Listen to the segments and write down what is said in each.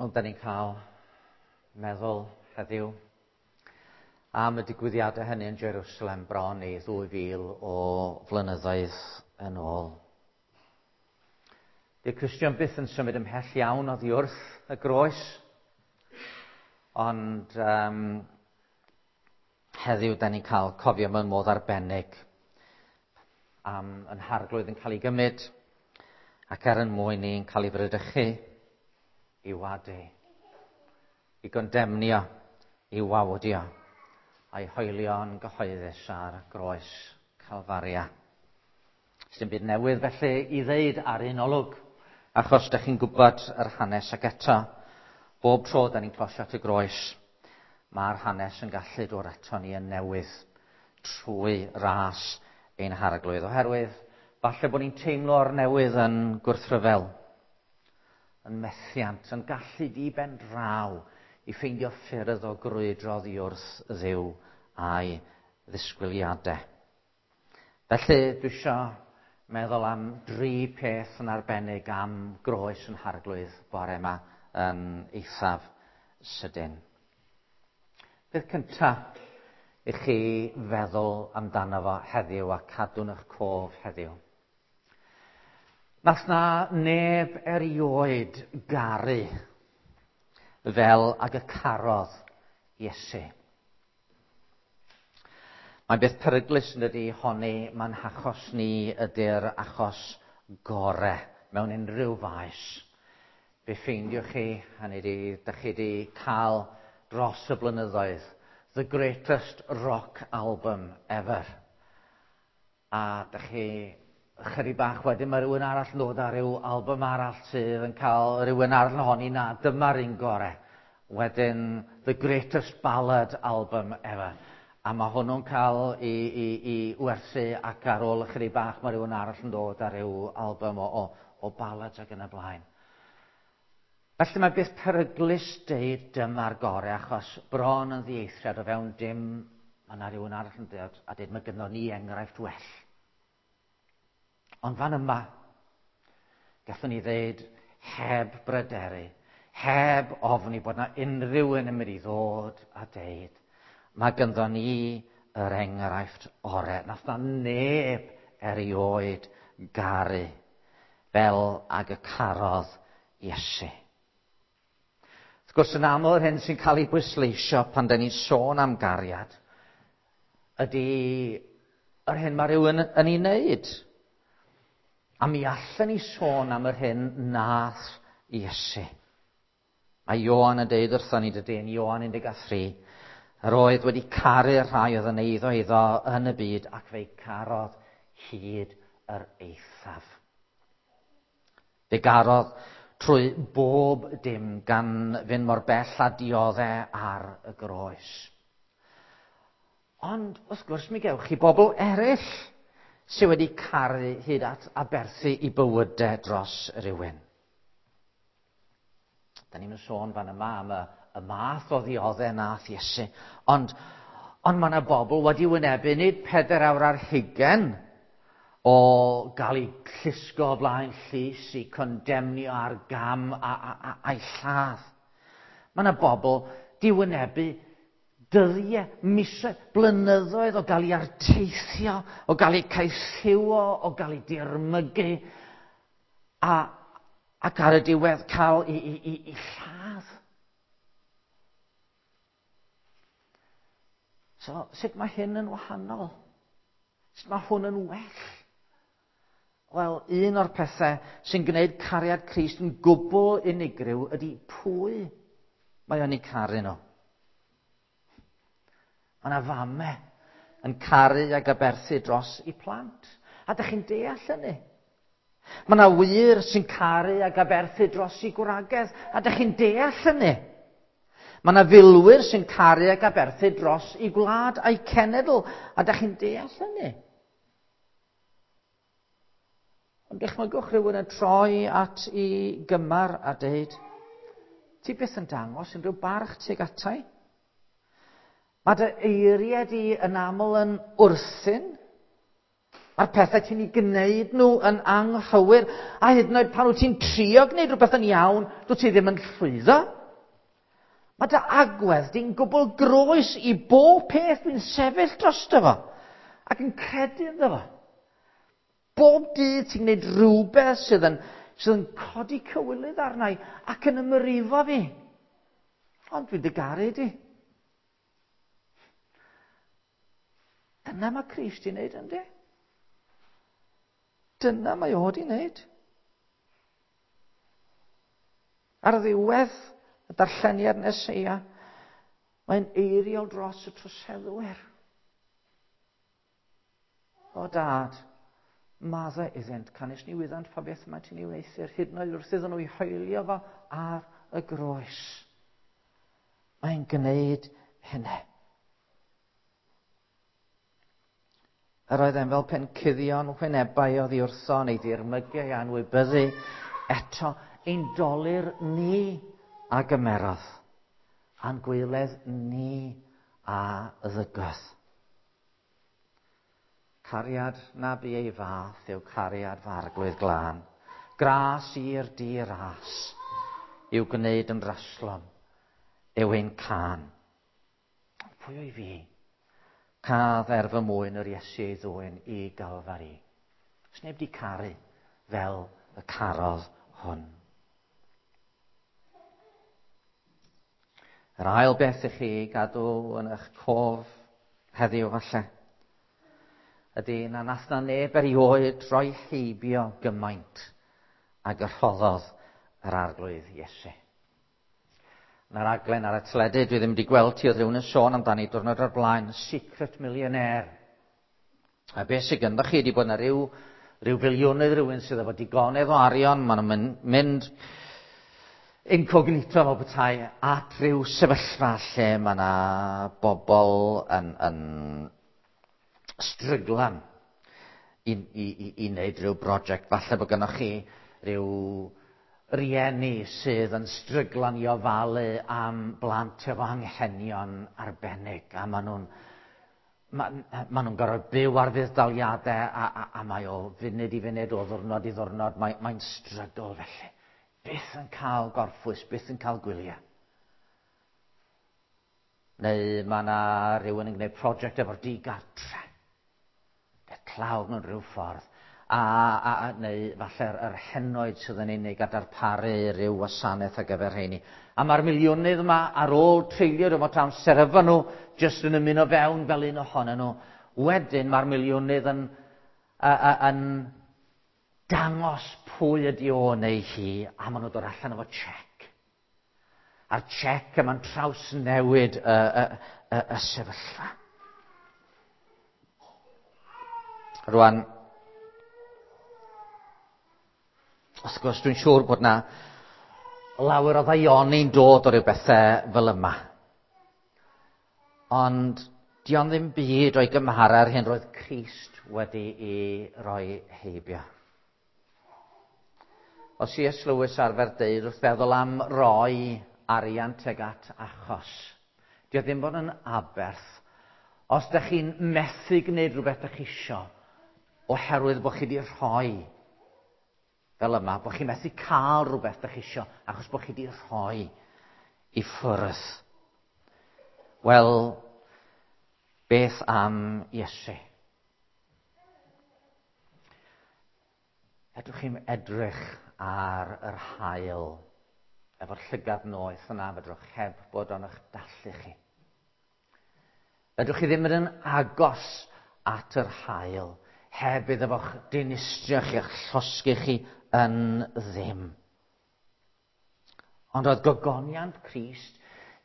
Ond da ni'n cael meddwl heddiw am y digwyddiadau hynny yn Jerusalem bron i 2000 o flynyddoedd yn ôl. Dy'r Cristion byth yn symud ymhell iawn oddi wrth y groes, ond heddiw da ni'n cael cofio mewn modd arbennig am yn harglwydd yn cael ei gymryd ac er yn mwyn ni'n cael ei frydychu i wadu, i gondemnio, i wawdio, a'i hoelio'n gyhoeddus ar groes Calfaria. Sdim byd newydd felly i ddeud ar un olwg, achos dych chi'n gwybod yr hanes ac eto, bob tro da ni'n closio at y groes, mae'r hanes yn gallu dod ato ni yn newydd trwy ras ein harglwydd, oherwydd falle bod ni'n teimlo'r newydd yn gwrthryfel, yn methiant, yn gallu di ben draw i ffeindio ffyrdd o grwydro oddi wrth Dduw a'i ddisgwyliadau. Felly, dwi eisiau meddwl am dri peth yn arbennig am groes yn harglwydd bore yma yn eithaf sydyn. Peth cyntaf i chi feddwl amdano fo heddiw a cadw'n eich cof heddiw. Nath na neb erioed garu fel ag y carodd Iesu. Mae'n beth peryglus yn dydi honni mae'n hachos ni ydy'r achos gore mewn unrhyw faes. Fe ffeindiwch chi, hynny ydi, dych chi wedi cael dros y blynyddoedd, the greatest rock album ever. A dych chi chydig bach wedyn mae rhywun arall yn dod â rhyw album arall sydd yn cael rhywun arall yn honni na dyma'r un gore. Wedyn the greatest ballad album ever. A mae hwnnw'n cael i werthu ac ar ôl ychydig bach mae rhywun arall yn dod â rhyw album o ballads ac yn y blaen. Felly mae beth peryglus deud dyma'r gore achos bron yn ddieithriad o fewn dim mae yna rhywun arall yn dod a dweud mae gynno ni enghraifft well. Ond fan yma, gallwn ni ddeud heb bryderu, heb ofni bod yna unrhyw un yn mynd i ddod a deud, mae gynno ni yr enghraifft ore. Nath na neb erioed garu fel ag y carodd Iesu. Wrth gwrs, yn aml yr hyn sy'n cael ei bwysleisio pan da ni'n sôn am gariad ydy yr hyn mae rhywun yn ei wneud. A mi allan ni sôn am yr hyn nath Iesu. Mae Ioan yn deud wrthon ni dydy yn Ioan 13, yr oedd wedi caru'r rhai oedd yn eiddo iddo yn y byd ac fe'i carodd hyd yr eithaf. Fe garodd trwy bob dim gan fynd mor bell a dioddau ar y groes. Ond, wrth gwrs, mi gewch chi bobl eraill sydd wedi caru hyd at aberthu i bywydau dros rywun. Da ni'n sôn fan yma am y math o ddioddau nath Iesu. Ond mae yna bobl wedi wynebu nid 4 awr ar hugain o gael eu llusgo o flaen llys i condemnio ar gam a'i lladd. Mae yna bobl di wynebu dyddiau, misoedd, blynyddoedd o gael ei arteithio, o gael ei caethiwo, o gael ei dirmygu, ac ar y diwedd cael ei lladd. So, sut mae hyn yn wahanol? Sut mae hwn yn well? Wel, un o'r pethau sy'n gwneud cariad Crist yn gwbl unigryw ydy pwy mae o'n ei caru nhw. Mae yna famau yn caru ag aberthu dros eu plant. A dych chi'n deall hynny? Mae yna wyr sy'n caru ag aberthu dros eu gwragedd. A dych chi'n deall hynny? Mae yna filwyr sy'n caru ag aberthu dros eu gwlad a'i cenedl. A dych chi'n deall hynny? Ond dychmygwch rhywun yn troi at ei gymar a deud, ti byth yn dangos unrhyw barch tuag atai? Mae dy eiriau di yn aml yn wrthyn. Mae'r pethau ti'n ei gwneud nhw yn anghywir, a hyd yn oed pan wyt ti'n trio gwneud rhywbeth yn iawn, dwyt ti ddim yn llwyddo. Mae dy agwedd di'n gwbl groes i bob peth dwi'n sefyll drosto fo, ac yn credu ynddo fo. Bob dydd ti'n gwneud rhywbeth sydd yn, sydd yn codi cywilydd arna i ac yn ymrifo fi. Ond dwi'n dy garu di. Dyna mae Crist i wneud, ynddi? Dyna mae o di wneud. Ar ddiwedd y darlleniad Neseia, mae'n eiriol dros y troseddwyr. O dad, maddau iddynt, canys ni wyddant pa beth mae ti'n ei wneuthur, hyd yn oed wrth iddyn nhw i hoelio fo ar y groes. Mae'n gwneud hynny. Yr oedd e'n fel pen cuddio'n wynebau oddi wrtho neu ddirmygu ei anwybyddu. Eto, ein dolur ni a gymerodd, a'n gwyledd ni a ddygodd. Cariad na bu ei fath yw cariad fy arglwydd glân. Gras i'r di-ras i'w gwneud yn raslon yw ein cân. Pwy o'i fi? Caf er fy mwyn yr Iesu ei ddwyn i Galfari. Os neb di caru fel y carodd hwn. Yr ail beth i chi gadw yn eich cof heddiw falle ydy na nath na neb erioed roi heibio gymaint ag y rhoddodd yr Arglwydd Iesu. Yna raglen ar y teledu, dwi ddim wedi gweld ti, oedd rhywun yn sôn amdani diwrnod o'r blaen, Secret Millionaire. A beth sydd gyda chi ydy bod yna rhyw, rhyw filiwnydd rhywun sydd efo digonedd o arian, maen nhw'n mynd, mynd incognito fel petai at rhyw sefyllfa lle mae yna bobl yn, yn stryglan i, i, i, i wneud rhyw brosiect. Falle bod gynnwch chi rhyw rieni sydd yn stryglan i ofalu am blant efo anghenion arbennig a maen nhw'n ma, ma nhw'n gorfod byw ar fudd-daliadau a, a, a mae o funud i funud, o ddwrnod i ddwrnod, mae'n mae strygl felly. Byth yn cael gorffwys, byth yn cael gwyliau. Neu mae yna rhywun yn gwneud prosiect efo'r digartre. Y tlawd mewn rhyw ffordd. A, a, a, neu falle'r yr henoed sydd yn unig a darparu rhyw wasanaeth ar gyfer rheini. A mae'r miliwnydd yma ar ôl treulio rhyw fath o amser efo nhw, jyst yn ymuno fewn fel un ohonyn nhw. Wedyn mae'r miliwnydd yn, a, a, yn dangos pwy ydi o neu hi, a maen nhw'n dod allan efo check. A'r check yma'n trawsnewid y, y, y, y sefyllfa. Rwan, wrth gwrs, dwi'n siŵr bod na lawer o ddaioni'n dod o ryw bethau fel yma. Ond dio'n ddim byd o'i gymharu â'r hyn roedd Crist wedi i roi heibio. O C.S. Lewis arfer deud wrth feddwl am roi arian tuag at achos. Dio ddim bod yn aberth. Os ydych chi'n methu gwneud rhywbeth ydych chi isio, oherwydd bod chi wedi rhoi fel yma, bod chi'n methu cael rhywbeth ydych chi isio, achos bod chi wedi rhoi i ffwrdd. Wel, beth am Iesu? Fedrwch chi'm edrych ar yr haul efo'r llygad noeth yna, fedrwch heb bod o'n eich dallu chi. Fedrwch chi ddim mynd yn agos at yr haul heb iddo fo'ch dinistrio chi a'ch llosgi chi yn ddim. Ond oedd gogoniant Crist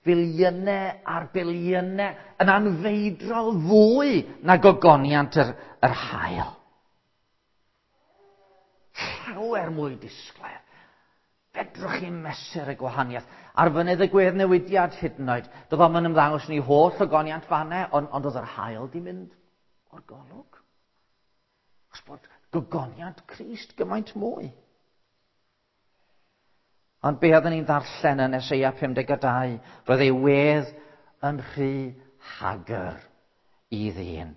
filiynau ar biliynau yn anfeidrol fwy na gogoniant yr, yr haul. Llawer mwy disglair. Fedrwch chi mesur y gwahaniaeth. Ar fynydd y gwedd newidiad hyd yn oed. Doedd o'm yn ymddangos ni holl ogoniant fanne, ond, ond oedd yr haul di mynd o'r golwg. Os bod gogoniant Crist gymaint mwy. Ond be oedden ni'n ddarllen yn Eseia 52, roedd ei wedd yn rhy hagr i ddyn.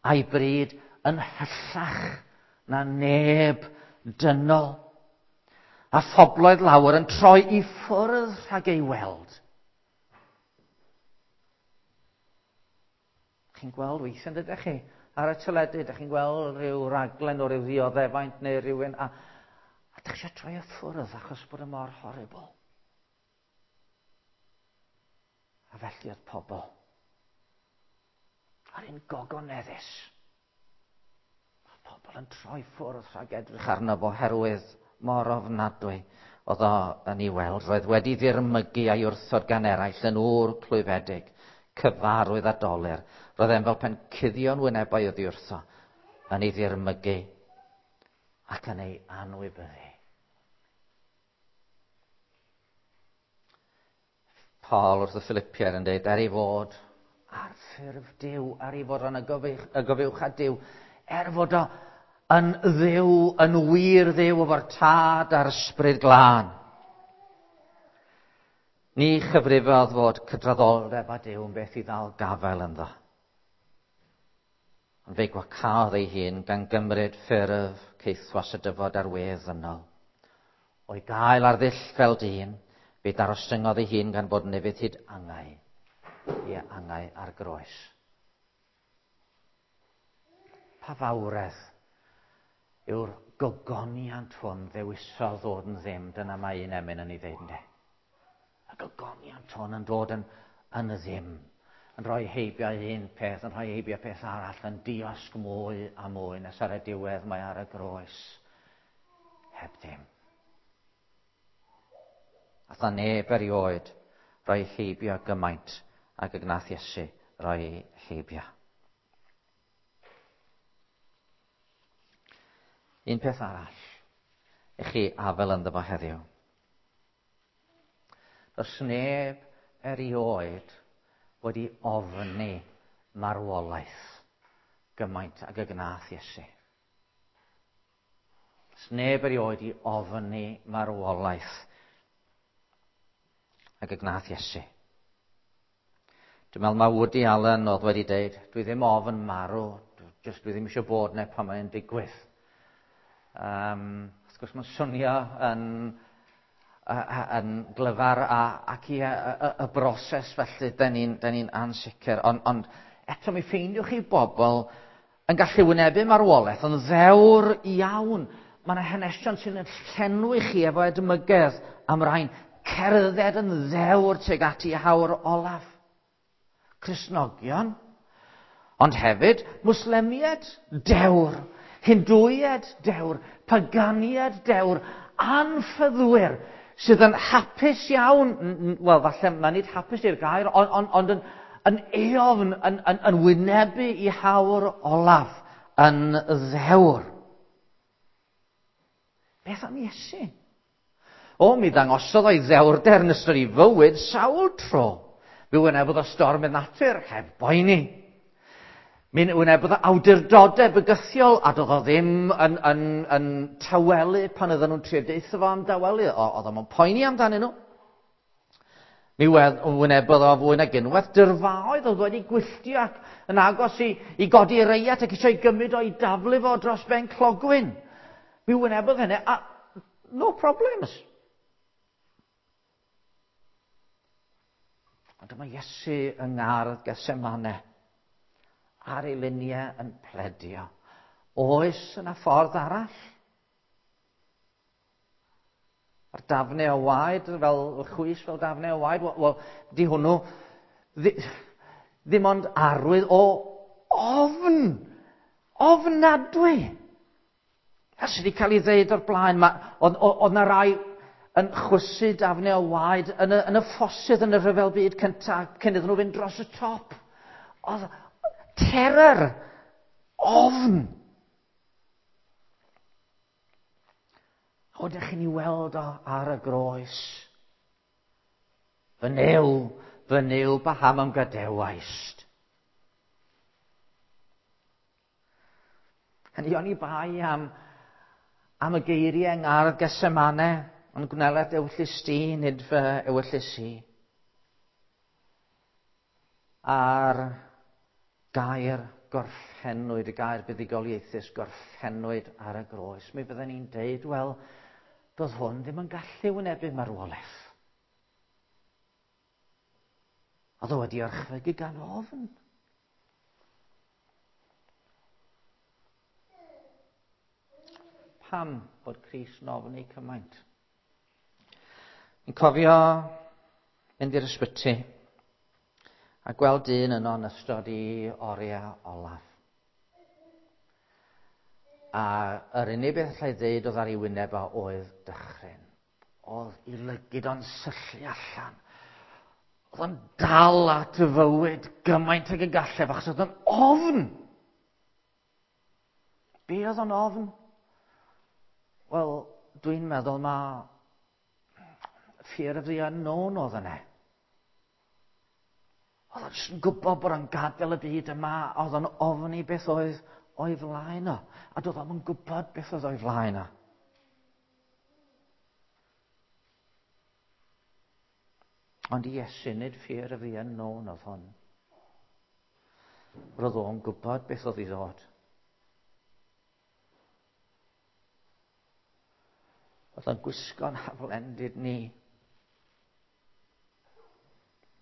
A'i bryd yn hyllach na neb dynol. A phobloedd lawer yn troi i ffwrdd rhag ei weld. Chi'n gweld weithiau, ydych chi, ar y teledu, ydych chi'n gweld rhyw raglen o ryw ddioddefaint neu rhywun, a ydych chi eisiau troi y ffwrdd achos bod y mor horrible. A felly oedd pobl ar un gogoneddus. Mae pobl yn troi ffwrdd rhag edrych arno fo oherwydd mor ofnadwy oedd o yn ei weld. Roedd wedi ddirmygu a'i wrthod gan eraill yn ŵr clwyfedig, cyfarwydd a dolur. Roedd e'n fel pen cuddio'n wynebau oddi wrtho, yn ei ddirmygu ac yn ei anwybyddu. Paul wrth y Philippiaid yn dweud, er ei fod ar ffurf Duw, er ei fod yn y gofiwch a Duw, er fod o yn Dduw, yn wir Dduw efo'r Tad a'r Ysbryd Glân. Ni chyfrifodd fod cydraddoldeb â Duw yn beth i ddal gafael ynddo. Ond fe gwacaodd ei hun gan gymryd ffurf caethwas y dyfod ar wedd ddynol. O'i gael ar ddull fel dyn, fe darostyngodd ei hun gan fod yn ufudd hyd angau, i angau ar groes. Pa fawredd yw'r gogoniant hwn ddewisodd ddod yn ddim, dyna mae un emyn yn ei ddeud, ynde. Y gogoniant hwn yn dod yn ddim, yn rhoi heibio un peth, yn rhoi heibio peth arall, yn diosg mwy a mwy, nes ar y diwedd mae ar y groes, heb ddim. Ath na neb erioed roi heibio gymaint ag y gnath Iesu roi heibio. Un peth arall i chi afel ynddo fo heddiw. Does neb erioed wedi ofni marwolaeth gymaint ag y gnath Iesu. Does neb erioed i ofni marwolaeth ag y gnath Iesu. Dwi'n meddwl mae Woody Allen oedd wedi deud, dwi ddim ofn marw, jyst dwi ddim eisiau bod neu pan mae'n digwydd. Wrth gwrs mae'n swnio yn glyfar ac i y broses felly, da ni'n ansicr. Ond eto mi ffeindiwch chi bobl yn gallu wynebu marwolaeth, yn ddewr iawn. Mae yna hanesion sy'n llenwi chi efo edmygedd am rhain, cerdded yn ddewr tuag at i hawr olaf. Cristnogion, ond hefyd Mwslemiaid dewr, Hindwiaid dewr, Paganiaid dewr, anffyddwyr sydd yn hapus iawn, wel falle mae nid hapus i'r gair, ond yn eofn, yn wynebu i hawr olaf, yn ddewr. Beth am Iesu? O, mi ddangosodd o'i ddewrder yn ystod ei fywyd sawl tro. Mi wynebodd o storm y natur, heb boeni. Mi wynebodd o awdurdodau bygythiol, a doedd o ddim yn tawelu pan oedden nhw'n trio deutha fo am dawelu. Oedd o'm yn poeni amdanyn nhw. Mi wynebodd o fwy nag unwaith dyrfaoedd oedd wedi gwylltio ac yn agos i godi reiat ac eisiau gymryd o'i daflu fo dros ben clogwyn. Mi wynebodd hynny, a no problems. Ond dyma Iesu yng ngardd Gethsemane ar ei luniau yn pledio. Oes yna ffordd arall? A'r dafnau o waed, fel chwys fel dafnau o waed, wel, di hwnnw ddim ond arwydd o ofn, ofnadwy. A sydd wedi cael ei ddeud o'r blaen, oedd na rai yn chwysu dafnau o waed yn y ffosydd yn y rhyfel byd cyntaf, cyn iddyn nhw fynd dros y top. Oedd terror, ofn. O, dych chi'n ei weld o ar y groes. Fy Nuw, paham am gadewaist? Hynny o'n i bai am y geiriau yng ngardd Gethsemane, ond gwneled ewyllys di, nid fy ewyllys i. A'r gair Gorffennwyd, y gair buddugoliaethus, gorffennwyd ar y groes. Mi fydden ni'n deud, wel, doedd hwn ddim yn gallu wynebu marwolaeth. Oedd o wedi orchfygu gan ofn. Pam bod Crist yn ofni cymaint? Fi'n cofio mynd i'r ysbyty a gweld dyn yno yn ystod i oriau olaf. A yr unig beth allai ddeud oedd ar ei wyneb o oedd dychryn. Oedd i lygid o'n syllu allan. Oedd o'n dal at y fywyd gymaint ag y gallef achos oedd o'n ofn. Be oedd o'n ofn? Wel, dwi'n meddwl ma fear of the unknown oedd yna. Oedd o'n jyst yn gwybod bod o'n gadael y byd yma, a oedd o'n ofni beth oedd o'i flaen o. A doedd o'm yn gwybod beth oedd o'i flaen o. Ond i Iesu, nid fear of the unknown oedd hwn. Roedd o'n gwybod beth oedd i ddod. Oedd o'n gwisgo'n haflendid ni.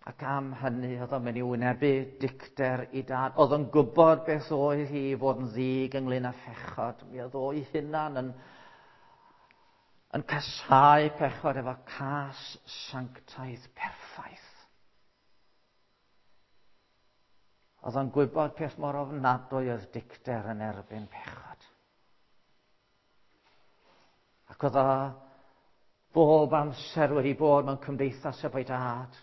Ac am hynny oedd o'n mynd i wynebu dicter i dad. Oedd o'n gwybod beth oedd hi i fod yn ddig ynglyn â phechod. Mi oedd o'i hunan yn casáu pechod efo cas sanctaidd perffaith. Oedd o'n gwybod peth mor ofnadwy oedd dicter yn erbyn pechod. Ac oedd o bob amser wedi bod mewn cymdeithas efo'i dad.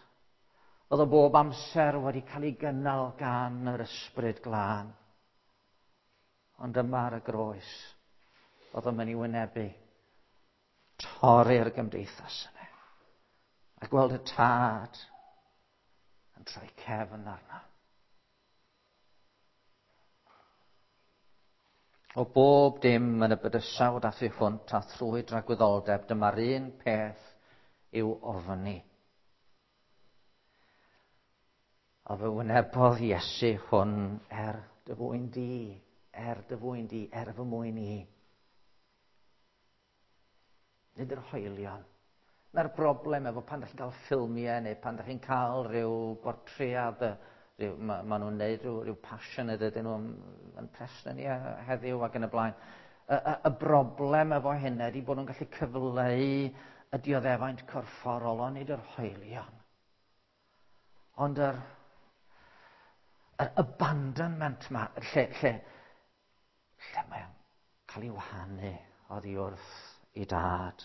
Oedd o bob amser wedi cael ei gynnal gan yr ysbryd glân. Ond yma ar y groes, oedd o'n mynd i wynebu torri'r gymdeithas yna. A gweld y tad yn troi cefn arno. O bob dim yn y bydysawd a thu hwnt a thrwy dragwyddoldeb, dyma'r un peth i'w ofni. A fe wynebodd Iesu hwn er dy fwyn di, er dy fwyn di, er fy mwyn i. Nid yr hoelion. Na'r broblem efo pan ydych chi'n cael ffilmiau neu pan ydych chi'n cael rhyw bortread, ma nhw'n neud rhyw passion ydyn nhw yn Preston ni heddiw ac yn y blaen. Y broblem efo hynna ydy bod nhw'n gallu cyfleu y dioddefaint corfforol, ond nid yr hoelion. Ond yr abandonment ma, lle mae'n cael ei wahanu oddi wrth ei dad.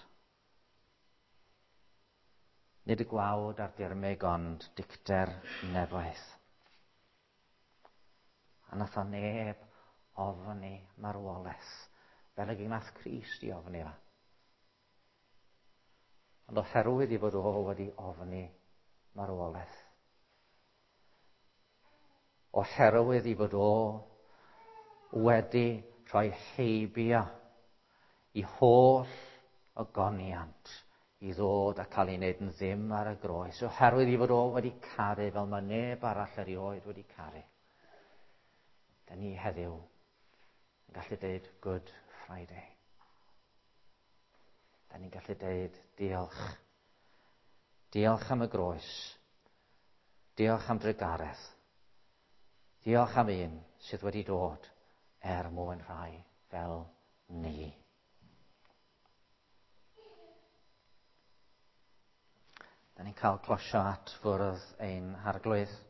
Nid y gwawd a'r dirmyg, ond dicter nefoedd. A nath o neb ofni marwolaeth, fel y nath Crist i ofni fo. Ond oherwydd i fod o wedi ofni marwolaeth, oherwydd i fod o wedi rhoi heibio i holl ogoniant i ddod a cael ei wneud yn ddim ar y groes, oherwydd i fod o wedi caru fel mae neb arall erioed wedi caru. Da ni heddiw yn gallu deud Good Friday. Da ni'n gallu deud diolch. Diolch am y groes. Diolch am drugaredd. Diolch am un sydd wedi dod er mwyn rhai fel ni. Da ni'n cael closio at fwrdd ein harglwydd.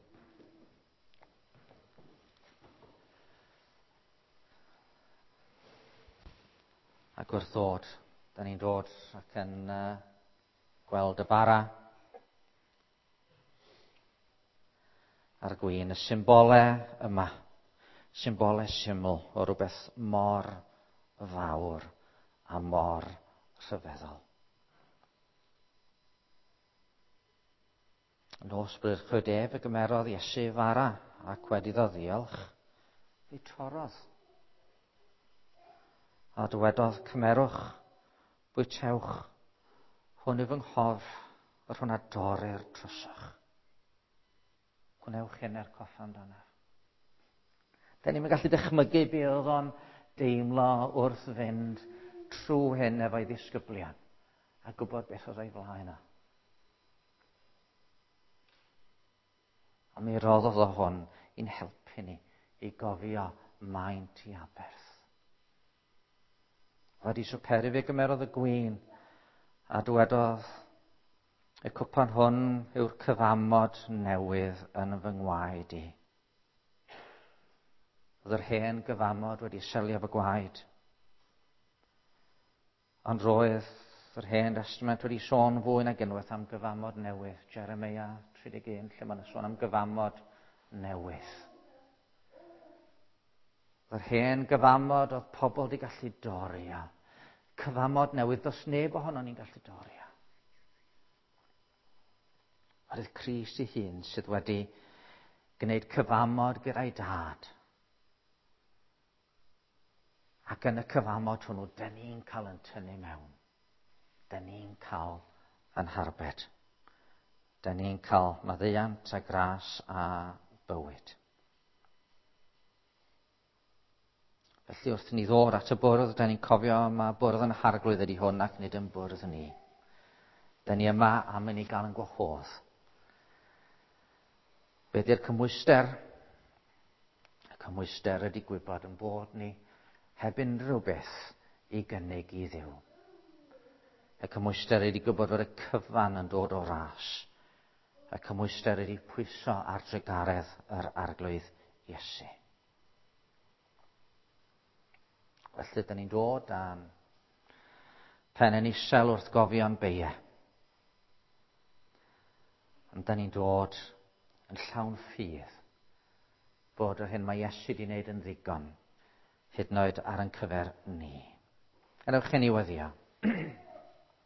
Ac wrth ddod, da ni'n dod ac yn gweld y bara a'r gwin, y symbole yma, symbole syml o rhywbeth mor fawr a mor rhyfeddol. Nos bryd ef y gymerodd Iesu fara ac wedi iddo ddiolch, fe torrodd. A dywedodd, cymerwch, bwytewch, hwn yw fy nghorff, yr hwn a dorrir drosoch. Gwnewch hyn er coffa amdanaf. Da ni'n gallu dychmygu be oedd o'n deimlo wrth fynd trwy hyn efo'i ddisgyblion a gwybod beth oedd o'i flaen o. A mi roddodd o hwn i'n helpu ni i gofio maint i aberth. Wedi swperu fe gymerodd y gwin a dywedodd, y cwpan hwn yw'r cyfamod newydd yn fy ngwaed i. Oedd yr hen gyfamod wedi selio fy gwaed. Ond roedd yr hen testament wedi sôn fwy nag unwaith am gyfamod newydd. Jeremia 31, lle mae'n sôn am gyfamod newydd. Yr hen gyfamod oedd pobl wedi gallu dorri. Cyfamod newydd, does neb ohono ni'n gallu dorri. Oedd Crist ei hun sydd wedi gwneud cyfamod gyda'i dad. Ac yn y cyfamod hwnnw, dyn ni'n cael yn tynnu mewn. Dyn ni'n cael yn harbed. Dyn ni'n cael maddeuant a gras a bywyd. Felly wrth ni ddod at y bwrdd, dyn ni'n cofio mae bwrdd yn harglwydd ydy hwn ac nid yn bwrdd ni. Dyn ni yma am i ni gael yn gwahodd. Be di'r cymhwyster? Y cymhwyster ydy gwybod yn bod ni heb unrhyw beth i gynnig i Dduw. Y cymhwyster ydy gwybod fod y cyfan yn dod o ras. Y cymhwyster ydy pwyso ar drugaredd yr Arglwydd Iesu. Felly, dyn ni'n dod am pen yn isel wrth gofio'n beie. Ond dyn ni'n dod yn llawn ffydd bod yr hyn mae Iesu wedi wneud yn ddigon, hyd yn oed ar ein cyfer ni. Gadewch i ni weddio.